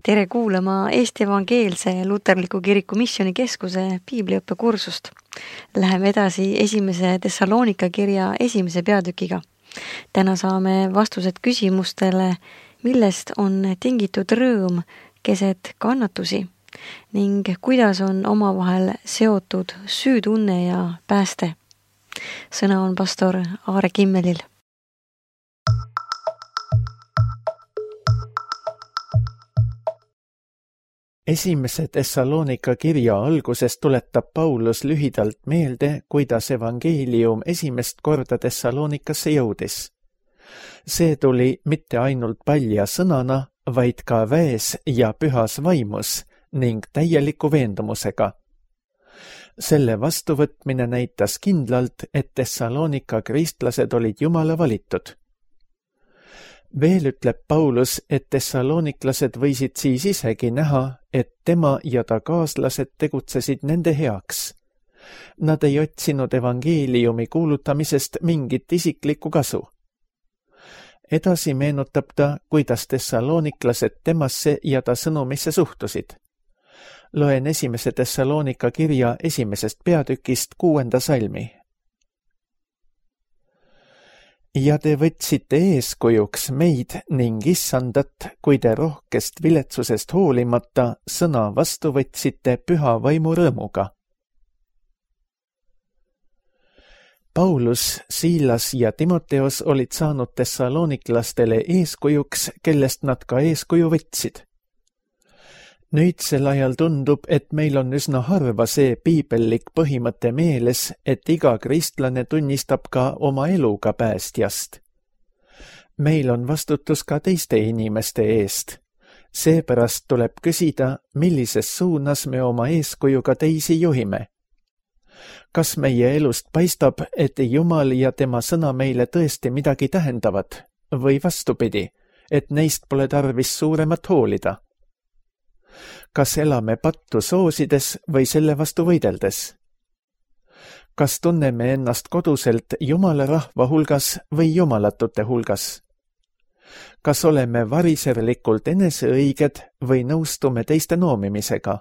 Tere kuulama Eesti Evangeelse Luterliku Kiriku Missioonikeskuse piibliõppekursust. Läheme edasi esimese Thessalonika kirja esimese peatükiga. Täna saame vastused küsimustele, millest on tingitud rõõm keset kannatusi ning kuidas on omavahel seotud süütunne ja pääste. Sõna on pastor Aare Kimmelil. Esimese Thessalonika kirja alguses tuletab Paulus lühidalt meelde, kuidas evangeelium esimest korda Thessalonikasse jõudis. See tuli mitte ainult palja sõnana, vaid ka väes ja pühas vaimus ning täieliku veendumusega. Selle vastuvõtmine näitas kindlalt, et Thessalonika kristlased olid Jumala valitud. Veel ütleb Paulus, et thessaloniklased võisid siis isegi näha, et tema ja ta kaaslased tegutsesid nende heaks. Nad ei otsinud evangeeliumi kuulutamisest mingit isiklikku kasu. Edasi meenutab ta, kuidas thessaloniklased temasse ja ta sõnumisse suhtusid. Loen esimese Thessalonika kirja esimesest peatükist 6. salmi. Ja te võtsite eeskujuks meid ning issandat, kui te rohkest viletsusest hoolimata sõna vastu võtsite püha vaimu rõõmuga. Paulus, Siilas ja Timoteos olid saanud thessaloniklastele eeskujuks, kellest nad ka eeskuju võtsid. Nüüdsel ajal tundub, et meil on üsna harva see piibellik põhimõte meeles, et iga kristlane tunnistab ka oma eluga päästjast. Meil on vastutus ka teiste inimeste eest. Seepärast tuleb küsida, millises suunas me oma eeskujuga teisi juhime. Kas meie elust paistab, et Jumal ja tema sõna meile tõesti midagi tähendavad, või vastupidi, et neist pole tarvis suuremat hoolida? Kas elame pattu soosides või selle vastu võideldes? Kas tunneme ennast koduselt Jumala rahva hulgas või jumalatute hulgas? Kas oleme variserlikult eneseõiged või nõustume teiste noomimisega?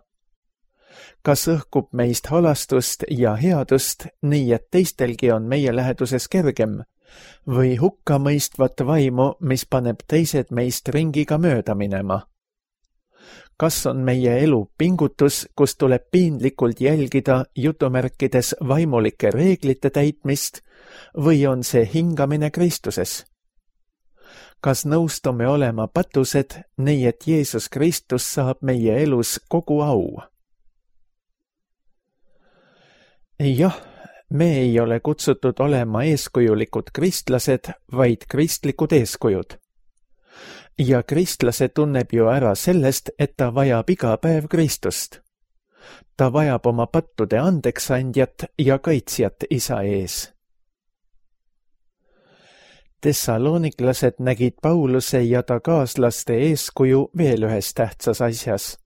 Kas õhkub meist halastust ja headust, nii et teistelgi on meie läheduses kergem, või hukkamõistvat vaimu, mis paneb teised meist ringiga mööda minema? Kas on meie elu pingutus, kus tuleb piinlikult jälgida jutumärkides vaimulike reeglite täitmist, või on see hingamine Kristuses? Kas nõustume olema patused, nii et Jeesus Kristus saab meie elus kogu au? Jah, me ei ole kutsutud olema eeskujulikud kristlased, vaid kristlikud eeskujud. Ja kristlase tunneb ju ära sellest, et ta vajab iga päev Kristust. Ta vajab oma pattude andeksandjat ja kaitsjat isa ees. Thessaloniklased nägid Pauluse ja ta kaaslaste eeskuju veel ühes tähtsas asjas.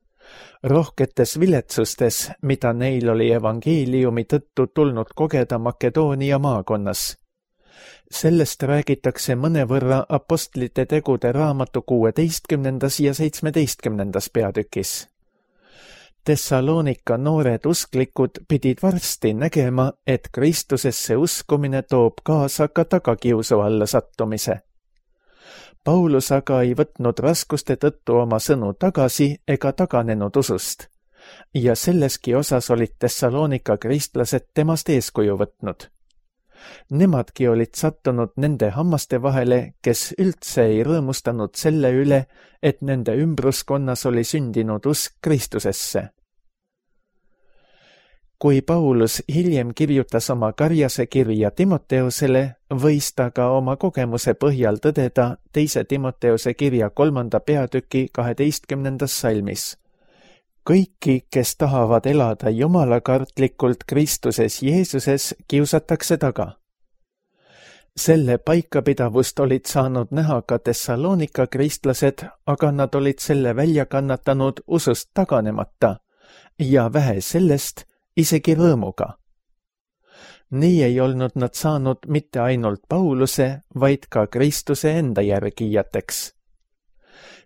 Rohketes viletsustes, mida neil oli evangeeliumi tõttu tulnud kogeda Makedoonia maakonnas. Sellest räägitakse mõnevõrra apostlite tegude raamatu 16. ja 17. peatükis. Thessalonika noored usklikud pidid varsti nägema, et Kristusesse uskumine toob kaasa ka tagakiusu alla sattumise. Paulus aga ei võtnud raskuste tõttu oma sõnu tagasi ega taganenud usust, ja selleski osas olid Thessalonika kristlased temast eeskuju võtnud. Nemadki olid sattunud nende hammaste vahele, kes üldse ei rõõmustanud selle üle, et nende ümbruskonnas oli sündinud usk Kristusesse. Kui Paulus hiljem kirjutas oma karjase kirja Timoteosele, võis ta ka oma kogemuse põhjal tõdeda 2. Timoteose kirja 3. peatüki 12. salmis. Kõiki, kes tahavad elada jumalakartlikult Kristuses Jeesuses, kiusatakse taga. Selle paikapidavust olid saanud näha ka Thessalonika kristlased, aga nad olid selle välja kannatanud usust taganemata ja vähe sellest isegi rõõmuga. Nii ei olnud nad saanud mitte ainult Pauluse, vaid ka Kristuse enda järgijateks.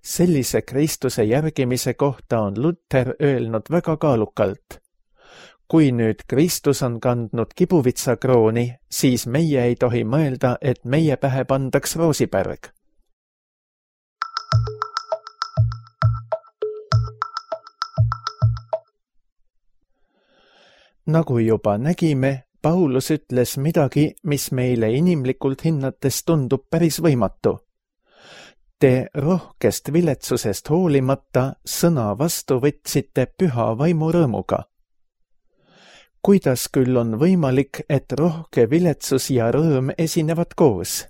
Sellise Kristuse järgimise kohta on Luther öelnud väga kaalukalt. Kui nüüd Kristus on kandnud kibuvitsakrooni, siis meie ei tohi mõelda, et meie pähe pandaks roosipärg. Nagu juba nägime, Paulus ütles midagi, mis meile inimlikult hinnates tundub päris võimatu. Te rohkest viletsusest hoolimata sõna vastu võtsite püha vaimu rõõmuga. Kuidas küll on võimalik, et rohke viletsus ja rõõm esinevad koos?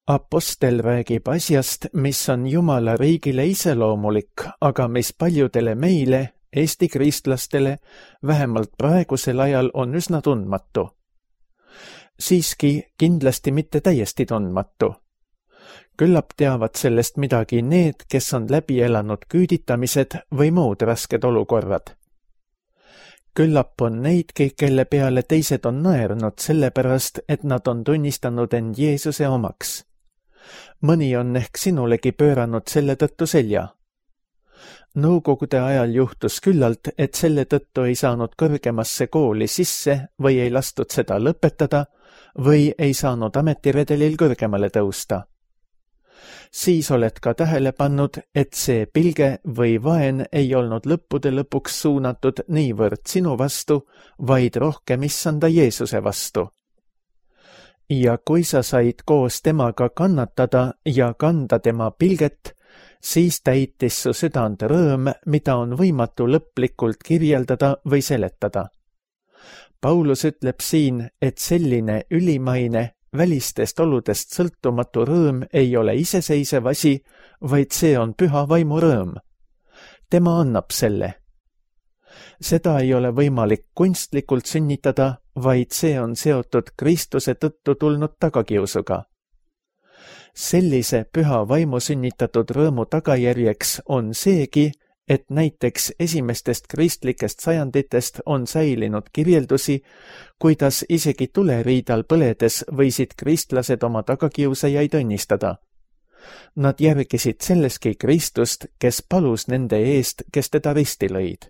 Apostel räägib asjast, mis on Jumala riigile iseloomulik, aga mis paljudele meile, Eesti kristlastele, vähemalt praegusel ajal on üsna tundmatu. Siiski kindlasti mitte täiesti tundmatu. Küllap teavad sellest midagi need, kes on läbi elanud küüditamised või muud rasked olukorrad. Küllap on neidki, kelle peale teised on naernud sellepärast, et nad on tunnistanud end Jeesuse omaks. Mõni on ehk sinulegi pööranud selle tõttu selja. Nõukogude ajal juhtus küllalt, et selle tõttu ei saanud kõrgemasse kooli sisse või ei lastud seda lõpetada või ei saanud ametiredelil kõrgemale tõusta. Siis oled ka tähele pannud, et see pilge või vaen ei olnud lõppude lõpuks suunatud niivõrd sinu vastu, vaid rohkem issanda Jeesuse vastu. Ja kui sa said koos temaga kannatada ja kanda tema pilget, siis täitis su südant rõõm, mida on võimatu lõplikult kirjeldada või seletada. Paulus ütleb siin, et selline ülimaine, välistest oludest sõltumatu rõõm ei ole iseseisev asi, vaid see on püha vaimu rõõm. Tema annab selle. Seda ei ole võimalik kunstlikult sünnitada, vaid see on seotud Kristuse tõttu tulnud tagakiusuga. Sellise püha vaimu sünnitatud rõõmu tagajärjeks on seegi, et näiteks esimestest kristlikest sajanditest on säilinud kirjeldusi, kuidas isegi tuleriidal põledes võisid kristlased oma tagakiusajaid õnnistada. Nad järgisid selleski Kristust, kes palus nende eest, kes teda risti lõid.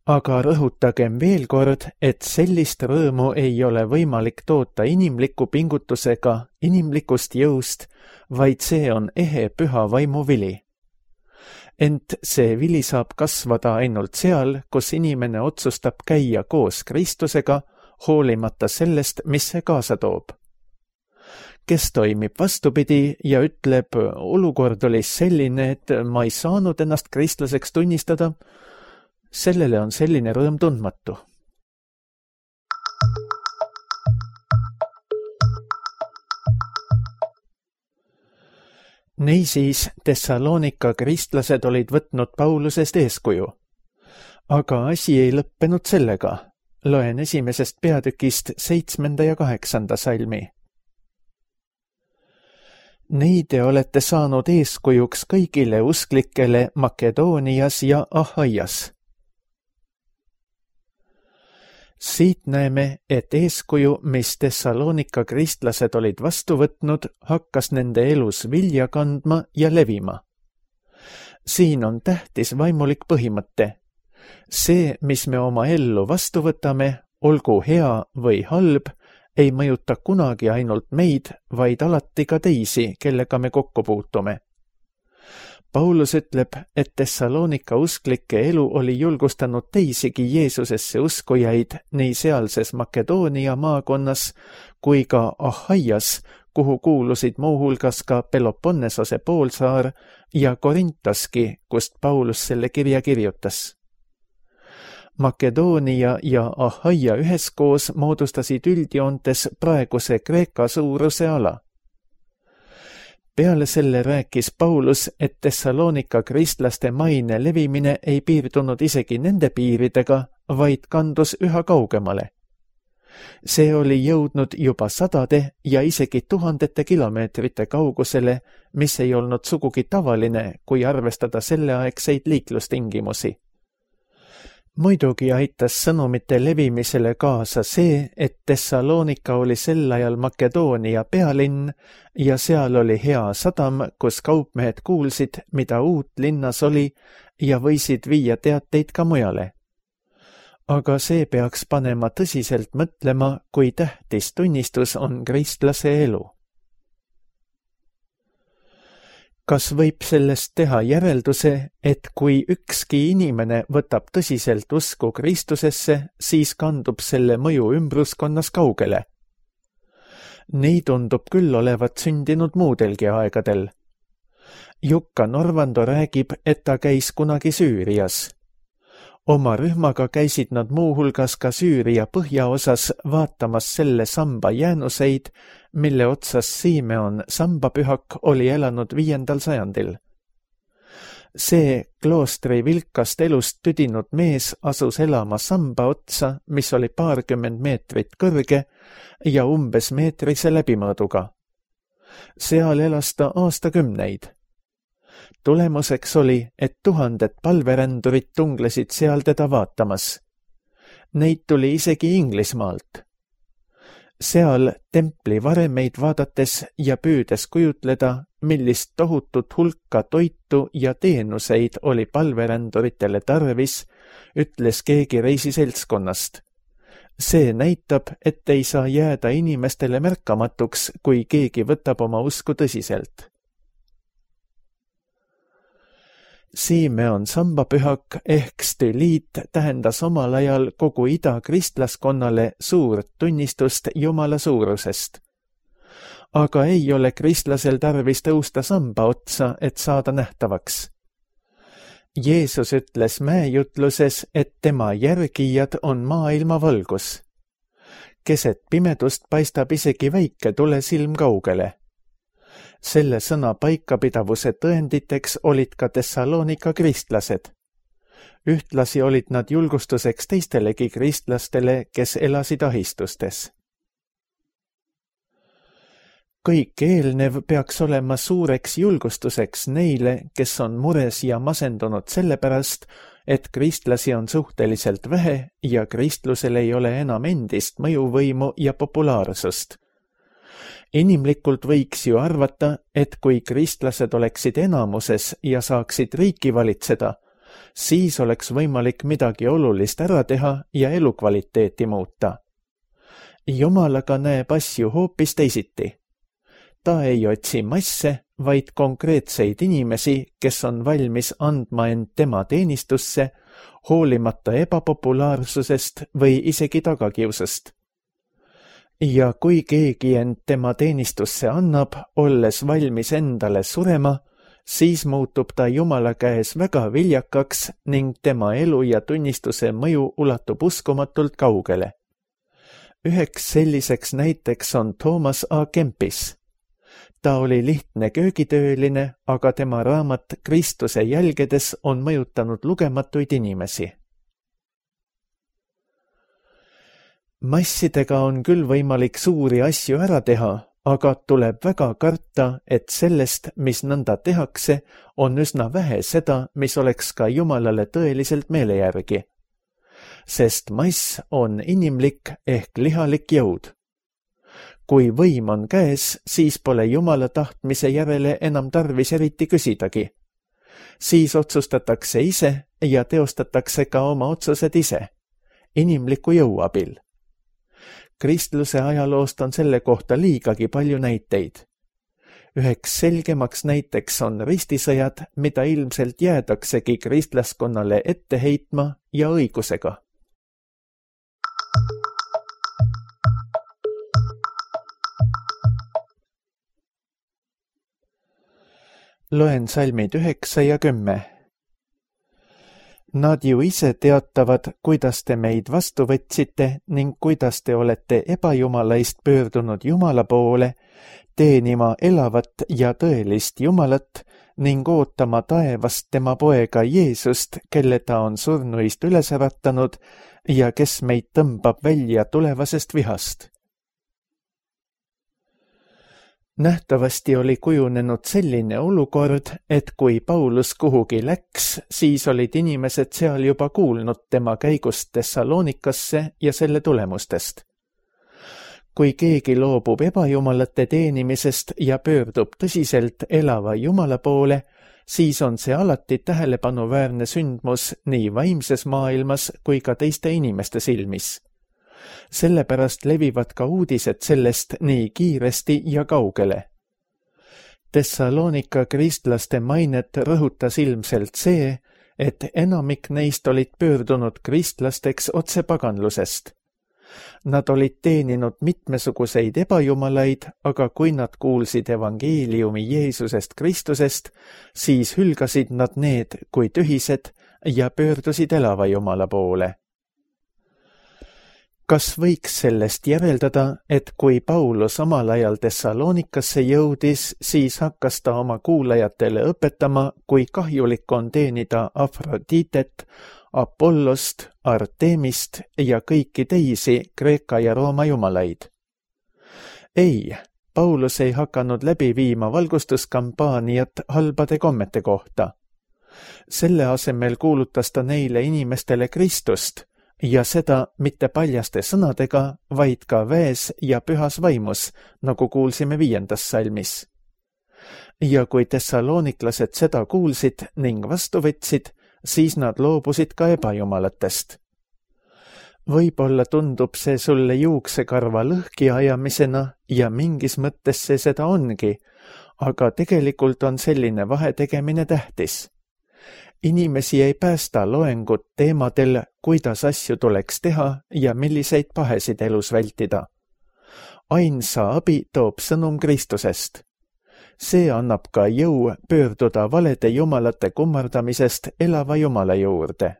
Aga rõhutagem veel kord, et sellist rõõmu ei ole võimalik toota inimliku pingutusega, inimlikust jõust, vaid see on ehe püha vaimu vili. Ent see vili saab kasvada ainult seal, kus inimene otsustab käia koos Kristusega, hoolimata sellest, mis see kaasa toob. Kes toimib vastupidi ja ütleb, olukord oli selline, et ma ei saanud ennast kristlaseks tunnistada, sellele on selline rõõm tundmatu. Niisiis, Thessalonika kristlased olid võtnud Paulusest eeskuju. Aga asi ei lõppenud sellega. Loen 1. peatükist 7. ja 8. salmi. Neide olete saanud eeskujuks kõigile usklikele Makedoonias ja Ahaias. Siit näeme, et eeskuju, mis Thessalonika kristlased olid vastu võtnud, hakkas nende elus vilja kandma ja levima. Siin on tähtis vaimulik põhimõte. See, mis me oma ellu vastu võtame, olgu hea või halb, ei mõjuta kunagi ainult meid, vaid alati ka teisi, kellega me kokku puutume. Paulus ütleb, et Thessalonika usklike elu oli julgustanud teisigi Jeesusesse uskujaid nii sealses Makedoonia maakonnas kui ka Ahaias, kuhu kuulusid muuhulgas ka Peloponnesose poolsaar ja Korintaski, kust Paulus selle kirja kirjutas. Makedoonia ja Ahaia üheskoos moodustasid üldjoontes praeguse Kreeka suuruse ala. Peale selle rääkis Paulus, et Thessalonika kristlaste maine levimine ei piirdunud isegi nende piiridega, vaid kandus üha kaugemale. See oli jõudnud juba sadade ja isegi tuhandete kilomeetrite kaugusele, mis ei olnud sugugi tavaline, kui arvestada selleaegseid liiklustingimusi. Muidugi aitas sõnumite levimisele kaasa see, et Thessalonika oli sel ajal Makedoonia pealinn ja seal oli hea sadam, kus kaupmehed kuulsid, mida uut linnas oli ja võisid viia teateid ka mujale. Aga see peaks panema tõsiselt mõtlema, kui tähtis tunnistus on kristlase elu. Kas võib sellest teha järelduse, et kui ükski inimene võtab tõsiselt usku Kristusesse, siis kandub selle mõju ümbruskonnas kaugele? Nii tundub küll olevat sündinud muudelgi aegadel. Jukka Norvando räägib, et ta käis kunagi Süürias. Oma rühmaga käisid nad muuhulgas ka Süüria põhjaosas vaatamas selle samba jäänuseid, mille otsas Simeon sambapühak oli elanud 5. sajandil. See kloostri vilkast elust tüdinud mees asus elama samba otsa, mis oli 20 meetrit kõrge ja umbes meetrise läbimõõduga. Seal elas ta aastakümneid. Tulemuseks oli, et 1000 palverändurit tunglesid seal teda vaatamas. Neid tuli isegi Inglismaalt. Seal templi varemeid vaadates ja püüdes kujutleda, millist tohutut hulka toitu ja teenuseid oli palveränduritele tarvis, ütles keegi reisiseltskonnast. See näitab, et ei saa jääda inimestele märkamatuks, kui keegi võtab oma usku tõsiselt. Simeon sambapühak ehk stüliit tähendas omal ajal kogu ida-kristlaskonnale suurt tunnistust Jumala suurusest. Aga ei ole kristlasel tarvis tõusta samba otsa, et saada nähtavaks. Jeesus ütles mäejutluses, et tema järgijad on maailma valgus. Keset pimedust paistab isegi väike tulesilm kaugele. Selle sõna paikapidavuse tõenditeks olid ka Thessalonika kristlased. Ühtlasi olid nad julgustuseks teistelegi kristlastele, kes elasid ahistustes. Kõik eelnev peaks olema suureks julgustuseks neile, kes on mures ja masendunud sellepärast, et kristlasi on suhteliselt vähe ja kristlusel ei ole enam endist mõjuvõimu ja populaarsust. Inimlikult võiks ju arvata, et kui kristlased oleksid enamuses ja saaksid riiki valitseda, siis oleks võimalik midagi olulist ära teha ja elukvaliteeti muuta. Jumalaga näeb asju hoopis teisiti. Ta ei otsi masse, vaid konkreetseid inimesi, kes on valmis andma end tema teenistusse, hoolimata ebapopulaarsusest või isegi tagakiusast. Ja kui keegi end tema teenistusse annab, olles valmis endale surema, siis muutub ta Jumala käes väga viljakaks ning tema elu ja tunnistuse mõju ulatub uskumatult kaugele. Üheks selliseks näiteks on Thomas A. Kempis. Ta oli lihtne köögitööline, aga tema raamat Kristuse jälgedes on mõjutanud lugematuid inimesi. Massidega on küll võimalik suuri asju ära teha, aga tuleb väga karta, et sellest, mis nõnda tehakse, on üsna vähe seda, mis oleks ka Jumalale tõeliselt meele järgi. Sest mass on inimlik ehk lihalik jõud. Kui võim on käes, siis pole Jumala tahtmise järele enam tarvis eriti küsidagi. Siis otsustatakse ise ja teostatakse ka oma otsused ise, inimliku jõu abil. Kristluse ajaloost on selle kohta liigagi palju näiteid. Üheks selgemaks näiteks on ristisõjad, mida ilmselt jäädaksegi kristlaskonnale ette heitma ja õigusega. Loen salmid 9 ja 10. Nad ju ise teatavad, kuidas te meid vastu võtsite ning kuidas te olete ebajumalaist pöördunud Jumala poole, teenima elavat ja tõelist Jumalat ning ootama taevast tema poega Jeesust, kelle ta on surnuist üles äratanud ja kes meid tõmbab välja tulevasest vihast. Nähtavasti oli kujunenud selline olukord, et kui Paulus kuhugi läks, siis olid inimesed seal juba kuulnud tema käigust Thessalonikasse ja selle tulemustest. Kui keegi loobub ebajumalate teenimisest ja pöördub tõsiselt elava Jumala poole, siis on see alati tähelepanuväärne sündmus nii vaimses maailmas kui ka teiste inimeste silmis. Sellepärast levivad ka uudised sellest nii kiiresti ja kaugele. Thessalonika kristlaste mainet rõhutas ilmselt see, et enamik neist olid pöördunud kristlasteks otse paganlusest. Nad olid teeninud mitmesuguseid ebajumalaid, aga kui nad kuulsid evangeeliumi Jeesusest Kristusest, siis hülgasid nad need kui tühised ja pöördusid elava Jumala poole. Kas võiks sellest järeldada, et kui Paulus omal ajal Thessalonikasse jõudis, siis hakkas ta oma kuulajatele õpetama, kui kahjulik on teenida Afroditet, Apollost, Artemist ja kõiki teisi Kreeka ja Rooma jumalaid? Ei, Paulus ei hakanud läbi viima valgustuskampaaniat halbade kommete kohta. Selle asemel kuulutas ta neile inimestele Kristust ja seda mitte paljaste sõnadega, vaid ka väes ja pühas vaimus, nagu kuulsime 5. salmis. Ja kui thessaloniklased seda kuulsid ning vastu võtsid, siis nad loobusid ka ebajumalatest. Võib-olla tundub see sulle juuksekarva lõhki ajamisena ja mingis mõttes see seda ongi, aga tegelikult on selline vahetegemine tähtis. Inimesi ei päästa loengud teemadel, kuidas asju tuleks teha ja milliseid pahesid elus vältida. Ainsa abi toob sõnum Kristusest. See annab ka jõu pöörduda valede jumalate kummardamisest elava Jumala juurde.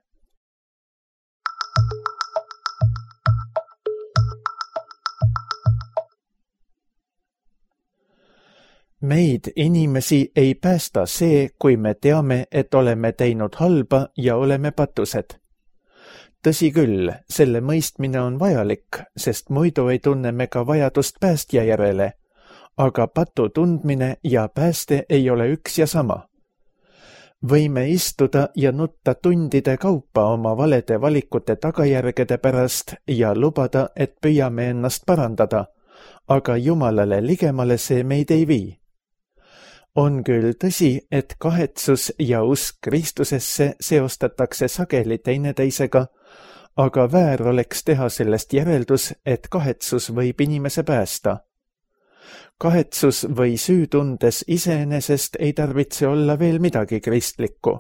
Meid inimesi ei päästa see, kui me teame, et oleme teinud halba ja oleme patused. Tõsi küll, selle mõistmine on vajalik, sest muidu ei tunne me ka vajadust päästja järele, aga patu tundmine ja pääste ei ole üks ja sama. Võime istuda ja nutta tundide kaupa oma valede valikute tagajärgede pärast ja lubada, et püüame ennast parandada, aga Jumalale ligemale see meid ei vii. On küll tõsi, et kahetsus ja usk Kristusesse seostatakse sageli teineteisega, aga väär oleks teha sellest järeldus, et kahetsus võib inimese päästa. Kahetsus või süütundes iseenesest ei tarvitse olla veel midagi kristlikku.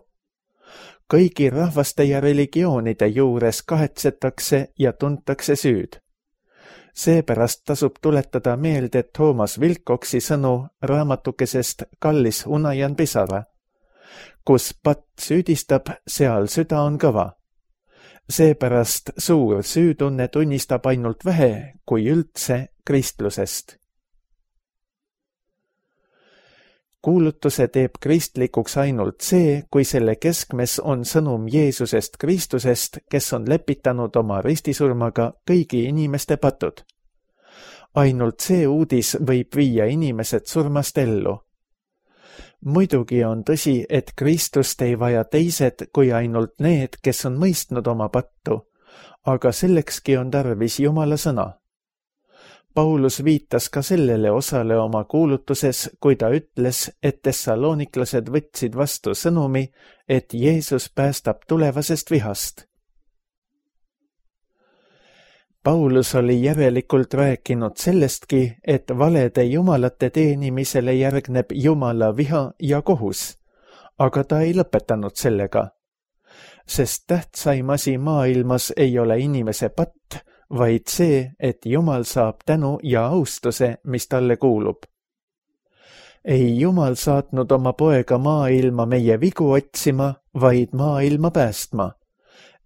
Kõigi rahvaste ja religioonide juures kahetsetakse ja tuntakse süüd. Seepärast tasub tuletada meelde Toomas Wilcoxi sõnu raamatukesest Kallis unajan pisara. Kus patt süüdistab, seal süda on kõva. Seepärast suur süütunne tunnistab ainult vähe, kui üldse, kristlusest. Kuulutuse teeb kristlikuks ainult see, kui selle keskmes on sõnum Jeesusest Kristusest, kes on lepitanud oma ristisurmaga kõigi inimeste patud. Ainult see uudis võib viia inimesed surmast ellu. Muidugi on tõsi, et Kristust ei vaja teised kui ainult need, kes on mõistnud oma pattu, aga sellekski on tarvis Jumala sõna. Paulus viitas ka sellele osale oma kuulutuses, kui ta ütles, et thessaloniklased võtsid vastu sõnumi, et Jeesus päästab tulevasest vihast. Paulus oli järelikult rääkinud sellestki, et valede jumalate teenimisele järgneb Jumala viha ja kohus, aga ta ei lõpetanud sellega. Sest tähtsaim asi maailmas ei ole inimese patt, vaid see, et Jumal saab tänu ja austuse, mis talle kuulub. Ei Jumal saatnud oma poega maailma meie vigu otsima, vaid maailma päästma,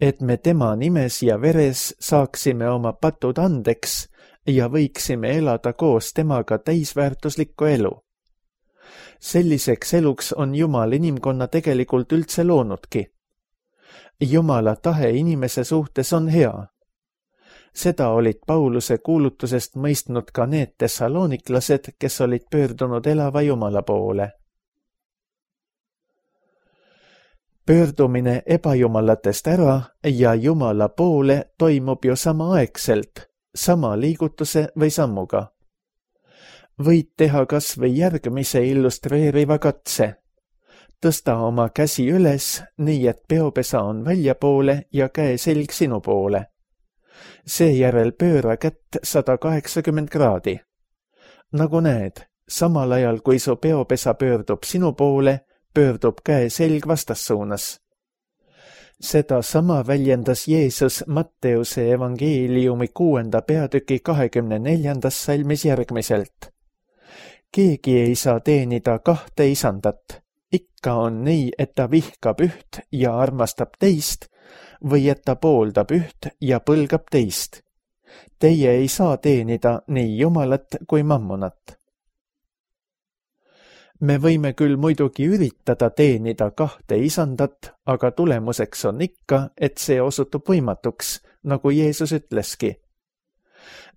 et me tema nimes ja veres saaksime oma patud andeks ja võiksime elada koos temaga täisväärtuslikku elu. Selliseks eluks on Jumal inimkonna tegelikult üldse loonudki. Jumala tahe inimese suhtes on hea. Seda olid Pauluse kuulutusest mõistnud ka need tessaloniklased, kes olid pöördunud elava Jumala poole. Pöördumine ebajumalatest ära ja Jumala poole toimub ju samaaegselt, sama liigutuse või sammuga. Võid teha kas või järgmise illustreeriva katse. Tõsta oma käsi üles, nii et peopesa on väljapoole ja käeselg sinu poole. Seejärel pööra kätt 180 kraadi. Nagu näed, samal ajal kui su peopesa pöördub sinu poole, pöördub käeselg vastassuunas. Seda sama väljendas Jeesus Matteuse evangeeliumi 6. peatüki 24. salmis järgmiselt. Keegi ei saa teenida 2 isandat. Ikka on nii, et ta vihkab üht ja armastab teist, või et ta pooldab üht ja põlgab teist. Teie ei saa teenida nii Jumalat kui mammonat. Me võime küll muidugi üritada teenida 2 isandat, aga tulemuseks on ikka, et see osutub võimatuks, nagu Jeesus ütleski.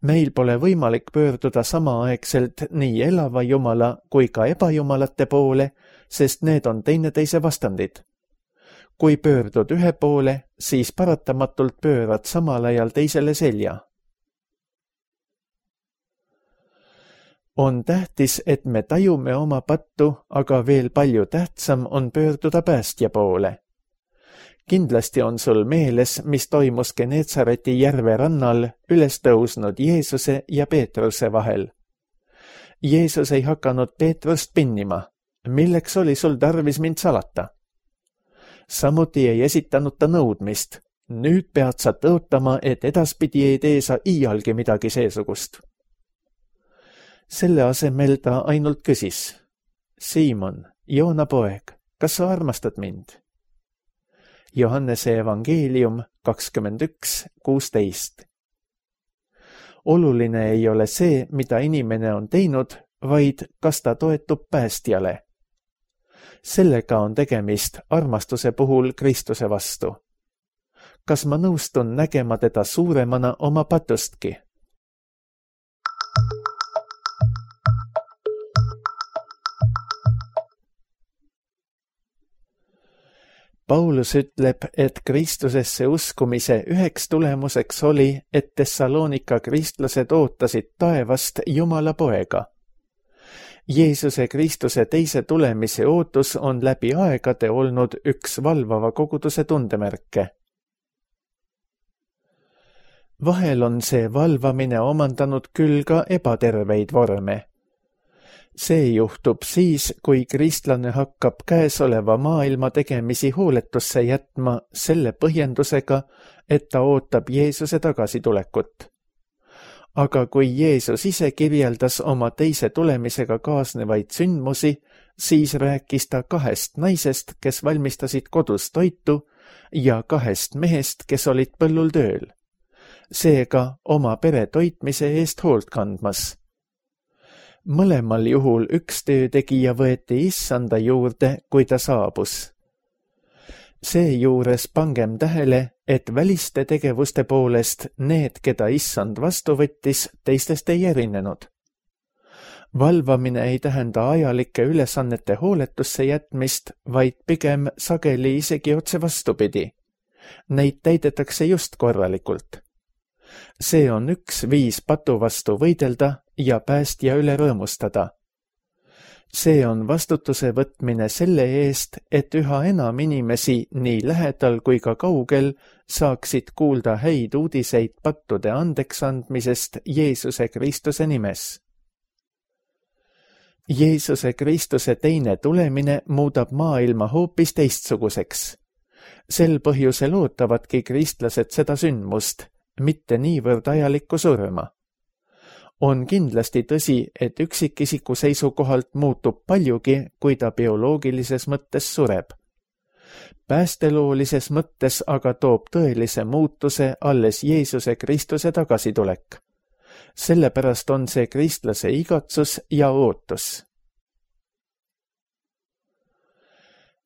Meil pole võimalik pöörduda samaaegselt nii elava Jumala kui ka ebajumalate poole, sest need on teineteise vastandid. Kui pöördud ühe poole, siis paratamatult pöörad samal ajal teisele selja. On tähtis, et me tajume oma pattu, aga veel palju tähtsam on pöörduda päästja poole. Kindlasti on sul meeles, mis toimus Geneetsareti järve rannal üles tõusnud Jeesuse ja Peetruse vahel. Jeesus ei hakanud Peetrust pinnima. Milleks oli sul tarvis mind salata? Samuti ei esitanud ta nõudmist. Nüüd pead sa tõotama, et edaspidi ei tee sa iialgi midagi seesugust. Selle asemel ta ainult küsis. Siimon, Joona poeg, kas sa armastad mind? Johannese evangeelium 21:16. Oluline ei ole see, mida inimene on teinud, vaid kas ta toetub päästjale. Sellega on tegemist armastuse puhul Kristuse vastu. Kas ma nõustun nägema teda suuremana oma patustki? Paulus ütleb, et Kristusesse uskumise üheks tulemuseks oli, et Tessalonika kristlased ootasid taevast Jumala poega. Jeesuse Kristuse teise tulemise ootus on läbi aegade olnud üks valvava koguduse tundemärke. Vahel on see valvamine omandanud küll ka ebaterveid vorme. See juhtub siis, kui kristlane hakkab käesoleva maailma tegemisi hooletusse jätma selle põhjendusega, et ta ootab Jeesuse tagasitulekut. Aga kui Jeesus ise kirjeldas oma teise tulemisega kaasnevaid sündmusi, siis rääkis ta 2 naisest, kes valmistasid kodus toitu, ja 2 mehest, kes olid põllul tööl. Seega oma pere toitmise eest hoolt kandmas. Mõlemal juhul üks töötegija võeti issanda juurde, kui ta saabus. Seejuures pangem tähele, et väliste tegevuste poolest need, keda issand vastu võttis, teistest ei erinenud. Valvamine ei tähenda ajalike ülesannete hooletusse jätmist, vaid pigem sageli isegi otse vastupidi. Neid täidetakse just korralikult. See on üks viis patu vastu võidelda ja päästja üle rõõmustada. See on vastutuse võtmine selle eest, et üha enam inimesi nii lähedal kui ka kaugel saaksid kuulda häid uudiseid pattude andeksandmisest Jeesuse Kristuse nimes. Jeesuse Kristuse teine tulemine muudab maailma hoopis teistsuguseks. Sel põhjusel ootavadki kristlased seda sündmust, mitte niivõrd ajalikku surma. On kindlasti tõsi, et üksikisiku seisukohalt muutub paljugi, kui ta bioloogilises mõttes sureb. Päästeloolises mõttes aga toob tõelise muutuse alles Jeesuse Kristuse tagasitulek. Sellepärast on see kristlase igatsus ja ootus.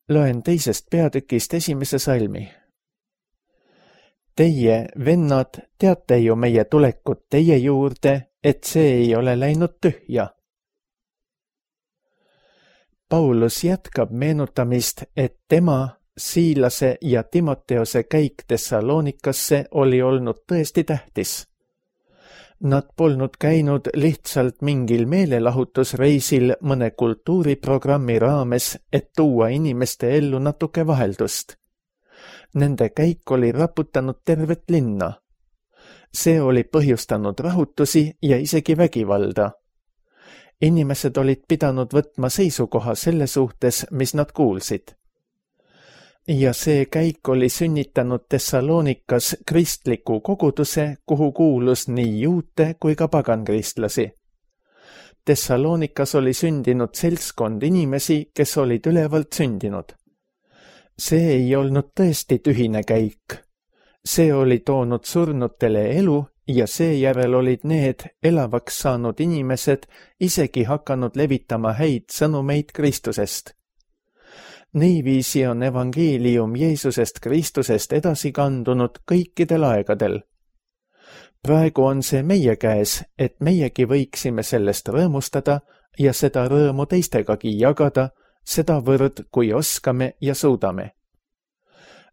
Loen 2. peatükist 1. salmi. Teie, vennad, teate ju meie tulekut teie juurde, et see ei ole läinud tühja. Paulus jätkab meenutamist, et tema, Siilase ja Timoteose käik Thessalonikasse oli olnud tõesti tähtis. Nad polnud käinud lihtsalt mingil meelelahutusreisil mõne kultuuriprogrammi raames, et tuua inimeste ellu natuke vaheldust. Nende käik oli raputanud tervet linna. See oli põhjustanud rahutusi ja isegi vägivalda. Inimesed olid pidanud võtma seisukoha selle suhtes, mis nad kuulsid. Ja see käik oli sünnitanud Thessalonikas kristliku koguduse, kuhu kuulus nii juute kui ka pagankristlasi. Thessalonikas oli sündinud seltskond inimesi, kes olid ülevalt sündinud. See ei olnud tõesti tühine käik. See oli toonud surnutele elu ja seejärel olid need elavaks saanud inimesed isegi hakanud levitama häid sõnumeid Kristusest. Niiviisi on evangeelium Jeesusest Kristusest edasi kandunud kõikidel aegadel. Praegu on see meie käes, et meiegi võiksime sellest rõõmustada ja seda rõõmu teistegagi jagada, sedavõrd, kui oskame ja suudame.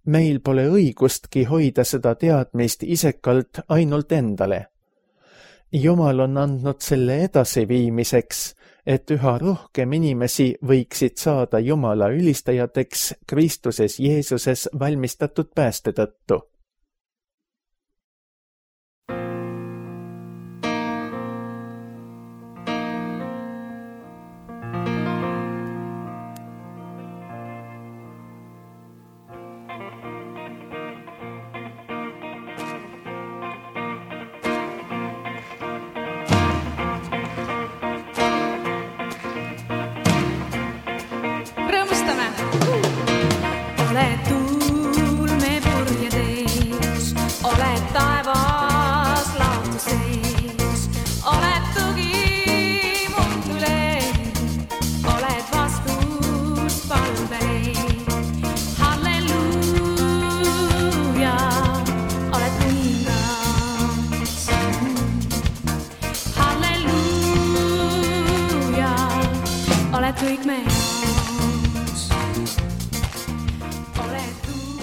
Meil pole õigustki hoida seda teadmist isekalt ainult endale. Jumal on andnud selle edasiviimiseks, et üha rohkem inimesi võiksid saada Jumala ülistajateks Kristuses Jeesuses valmistatud pääste tõttu.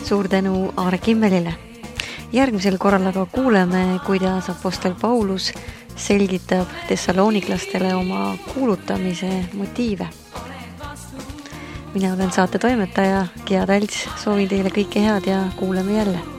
Suur tänu Aare Kimmelile. Järgmisel korral aga kuuleme, kuidas apostel Paulus selgitab thessaloniklastele oma kuulutamise motiive. Mina olen saate toimetaja Gea Talts, soovin teile kõike head ja kuuleme jälle.